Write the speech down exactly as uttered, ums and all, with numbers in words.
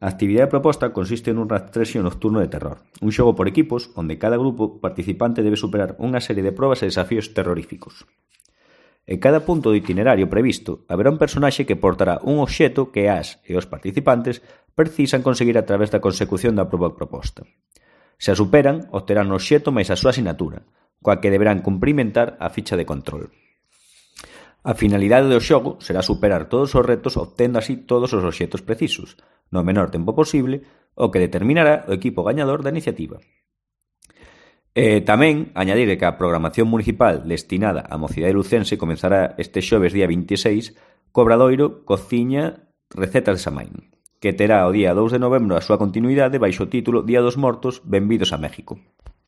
A actividade proposta consiste nun rastrexio nocturno de terror, un xogo por equipos onde cada grupo participante debe superar unha serie de probas e desafíos terroríficos. En cada punto do itinerario previsto haberá un personaxe que portará un obxeto que as e os participantes precisan conseguir a través da consecución da proba proposta. Se a superan, obterán o obxeto máis a súa asinatura, coa que deberán cumprimentar a ficha de control. A finalidade do xogo será superar todos os retos obtendo así todos os obxetos precisos, no menor tempo posible, o que determinará o equipo gañador da iniciativa. E tamén añadir que a programación municipal destinada á mocidade lucense comenzará este xoves día vinte e seis co obradoiro Cociña Recetas de Samaín, que terá o día dous de novembro a súa continuidade baixo o título Día dos Mortos, benvidos a México.